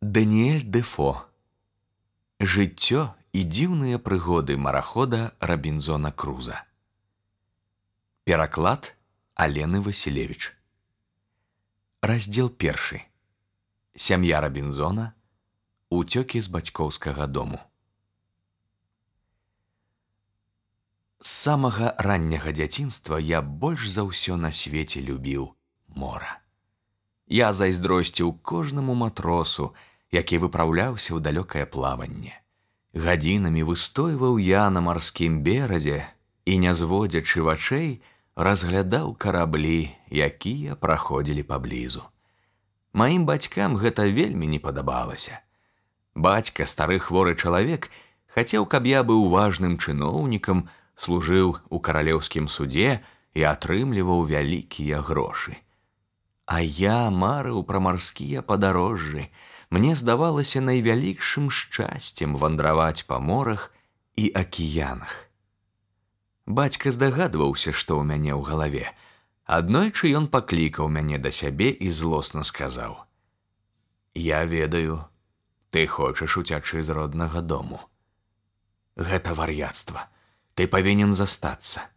Даніэль Дэфо. Жыццё і дзіўныя прыгоды марахода Рабінзона Круза. Пераклад Алены Васілевіч. Раздзел 1. Сям'я Рабінзона. Уцёкі з бацькоўскага дому. З самага ранняга дзяцінства я больш за ўсё на свеце любіў мора. Я зайздросціў кожнаму матросу, які выпраўляўся ў далёкае плаванне. Гадзінамі выстойваў я на марскім беразе і, не зводзячы вачэй, разглядаў караблі, якія праходзілі паблізу. Маім бацькам гэта вельмі не падабалася. Бацька, стары хворы чалавек, хацеў, каб я быў важным чыноўнікам, служыў у каралеўскім судзе і атрымліваў вялікія грошы. А я марыў пра марскія падарожжы. Мне здавалася найвялікшым шчасцем вандраваць па морах і акіянах. Бацька здагадваўся, што ў мяне ў галаве. Аднойчы ён паклікаў мяне да сябе і злосна сказаў: «Я ведаю, ты хочаш уцячы з роднага дому. Гэта вар'яцтва. Ты павінен застацца.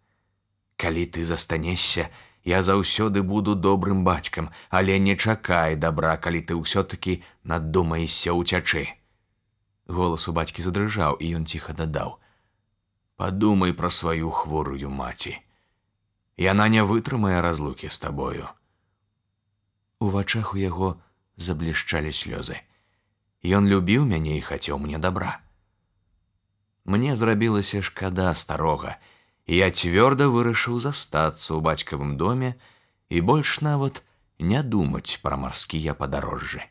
Калі ты застанешся, я заўсёды буду добрым бацькам, але не чакай добра, калі ты ўсё-такі надумаешся ўцячы». Голас у бацькі задрыжаў, і ён ціха дадаў: «Падумай пра сваю хворую маці. Яна не вытрымае разлукі з табою». У вачах у яго заблішчалі слёзы. Ён любіў мяне і хацеў мне добра. Мне зрабілася шкада старога, і я цвёрда вырашыў застацца ў бацькавым доме і больш нават не думаць пра марскія падарожжы.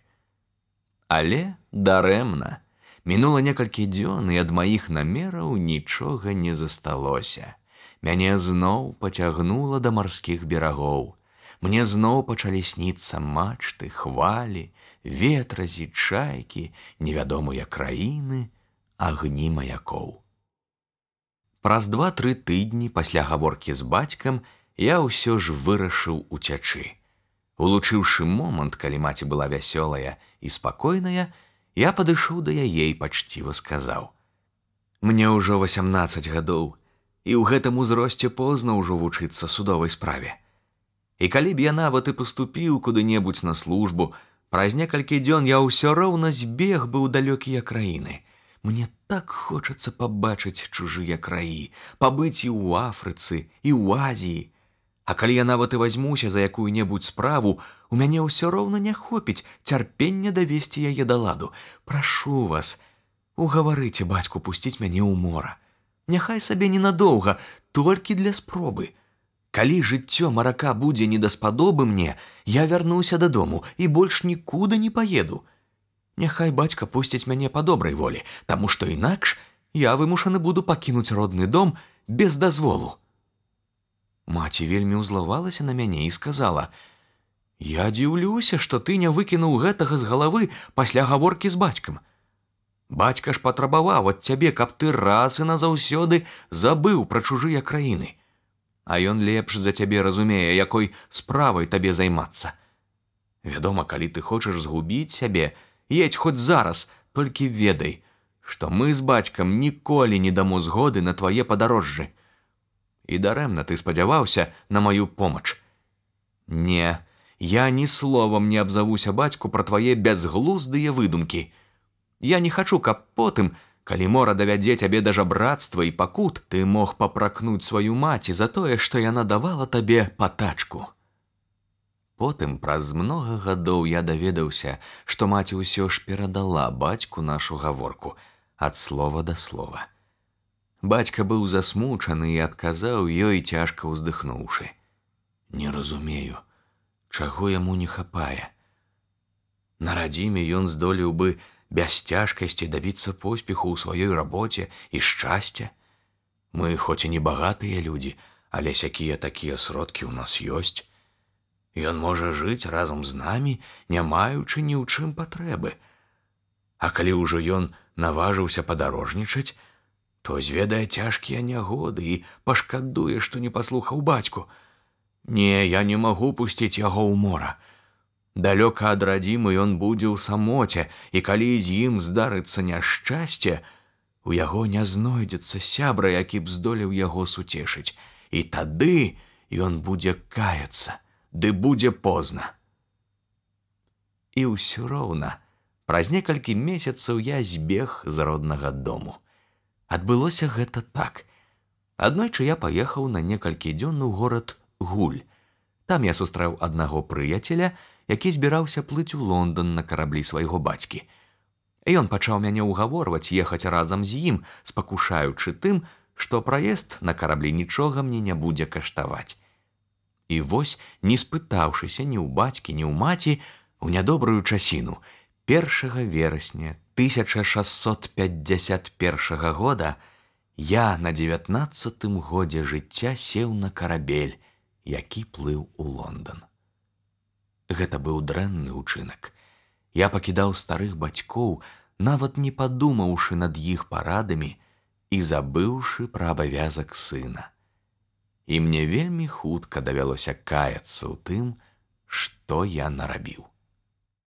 Але дарэмна. Мінула некалькі дзён, і ад маіх намераў нічога не засталося. Мяне зноў пацягнула да марскіх берагоў. Мне зноў пачалі сніцца мачты, хвалі, ветразі, чайкі, невядомыя краіны, агні маякоў. Праз 2-3 тыдні пасля гаворкі з бацькам я ўсё ж вырашыў уцячы. Улучыўшы момант, калі маці была вясёлая і спакойная, я падышоў да яе і пачціва сказаў: «Мне ўжо 18 гадоў, і ў гэтым узросце позна ўжо вучыцца судовай справе. І калі б я нават і паступіў куды-небудзь на службу, праз некалькі дзён я ўсё роўна збег бы ў далёкія краіны. Мне так хочацца пабачыць чужыя краі, пабыць і ў Афрыцы, і ў Азіі. А калі я нават і вазьмуся за якую-небудзь справу, у мяне ўсё роўна не хопіць цярпення давесці яе да ладу. Прашу вас, угаварыце бацьку пусціць мяне ў мора. Няхай сабе ненадоўга, толькі для спробы. Калі жыццё марака будзе недаспадобы мне, я вярнуся дадому і больш нікуды не паеду. Няхай бацька пусціць мяне па добрай волі, таму што інакш я вымушаны буду пакінуць родны дом без дазволу». Маці вельмі ўзлавалася на мяне і сказала: «Я дзіўлюся, што ты не выкінуў гэтага з галавы пасля гаворкі з бацькам. Бацька ж патрабаваў ад цябе, каб ты раз і назаўсёды забыў пра чужыя краіны. А ён лепш за цябе разумее, якой справай табе займацца. Вядома, калі ты хочаш згубіць сябе, едзь хоць зараз, толькі ведай, што мы з бацькам ніколі не дамо згоды на твае падарожжы. І дарэмна ты спадзяваўся на маю помач. Не, я ні словам не абзавуся бацьку пра твае бязглуздыя выдумкі. Я не хачу, каб потым, калі мора давядзе цябе да жабрацтва і пакут, ты мог папракнуць сваю маці за тое, што яна давала табе патачку». Потым, праз многа гадоў, я даведаўся, што маці ўсё ж перадала бацьку нашу гаворку ад слова да слова. Бацька быў засмучаны і адказаў ёй, цяжка ўздыхнуўшы: «Не разумею, чаго яму не хапае. На радзіме ён здолеў бы без цяжкасці дабіцца поспеху ў сваёй рабоце і шчасця. Мы хоць і не багатыя людзі, але сякія-такія сродкі ў нас ёсць. Ён можа жыць разам з намі, не маючы ні ў чым патрэбы. А калі ўжо ён наважыўся падарожнічаць, то зведае цяжкія нягоды і пашкадуе, што не паслухаў бацьку. Не, я не магу пусціць яго ў мора. Далёка ад радзімы ён будзе ў самоце, і калі з ім здарыцца няшчасце, у яго не знойдзецца сябра, які б здолеў яго суцешыць. І тады ён будзе каяцца, ды будзе позна. І ўсё роўна, праз некалькі месяцаў я збег з роднага дому. Адбылося гэта так. Аднойчы я паехаў на некалькі дзён у горад Гуль. Там я сустрэў аднаго прыяцеля, які збіраўся плыць у Лондан на караблі свайго бацькі. Ён пачаў мяне ўгаворваць ехаць разам з ім, спакушаючы тым, што праезд на караблі нічога мне не будзе каштаваць. І вось, не спытаўшыся ні ў бацькі, ні ў маці, у нядобрую часіну, 1 верасня 1651 года я на 19-тым годзе жыцця сеў на карабель, які плыў у Лондан. Гэта быў дрэнны ўчынак. Я пакідаў старых бацькоў, нават не падумаўшы над іх парадамі і забыўшы пра абавязак сына. І мне вельмі хутка давялося каяцца ў тым, што я нарабіў.